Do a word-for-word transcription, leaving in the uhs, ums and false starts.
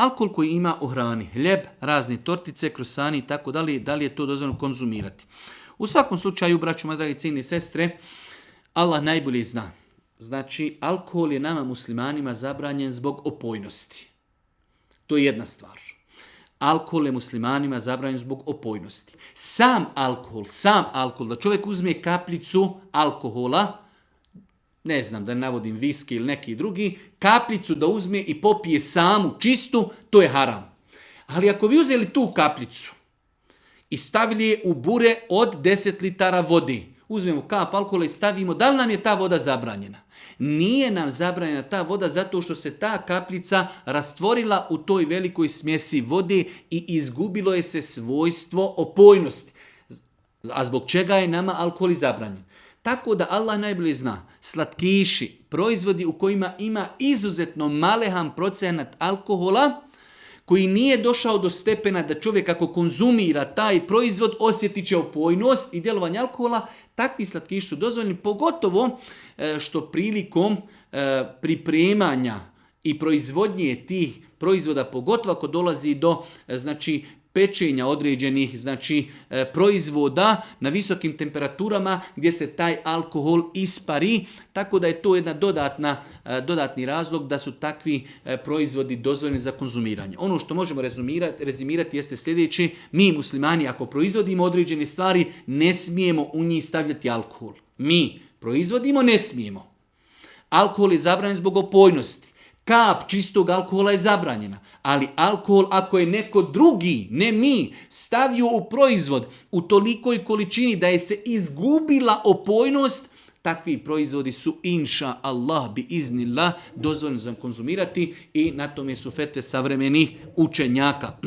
Alkohol koji ima u hrani, hljeb, razne tortice, krosani i tako dalje, da li je to dozvoljeno konzumirati. U svakom slučaju, braćo moje dragi cijene sestre, Allah najbolje zna. Znači, alkohol je nama muslimanima zabranjen zbog opojnosti. To je jedna stvar. Alkohol je muslimanima zabranjen zbog opojnosti. Sam alkohol, sam alkohol, da čovjek uzme kapljicu alkohola, ne znam da navodim viski ili neki drugi, kapljicu da uzme i popije samu, čistu, to je haram. Ali ako bi uzeli tu kapljicu i stavili je u bure od deset litara vode, uzmemo kap alkohola i stavimo, da li nam je ta voda zabranjena? Nije nam zabranjena ta voda zato što se ta kapljica rastvorila u toj velikoj smjesi vode i izgubilo je se svojstvo opojnosti. A zbog čega je nama alkohol zabranjen? Tako da Allah najbolje zna, slatkiši, proizvodi u kojima ima izuzetno malehan procenat alkohola, koji nije došao do stepena da čovjek ako konzumira taj proizvod osjetit će opojnost i djelovanje alkohola, takvi slatkiši su dozvoljeni, pogotovo što prilikom pripremanja i proizvodnje tih proizvoda, pogotovo ako dolazi do znači, pečenja određenih znači, proizvoda na visokim temperaturama gdje se taj alkohol ispari, tako da je to jedna dodatna, dodatni razlog da su takvi proizvodi dozvoljeni za konzumiranje. Ono što možemo rezumirati, rezimirati jeste sljedeće: mi muslimani ako proizvodimo određene stvari ne smijemo u njih stavljati alkohol. Mi proizvodimo, ne smijemo. Alkohol je zabranjen zbog opojnosti. Kap čistog alkohola je zabranjena, ali alkohol ako je neko drugi, ne mi, stavio u proizvod u tolikoj količini da je se izgubila opojnost, takvi proizvodi su inša Allah bi iznillah dozvoljeni za konzumirati i na tome su fetve savremenih učenjaka.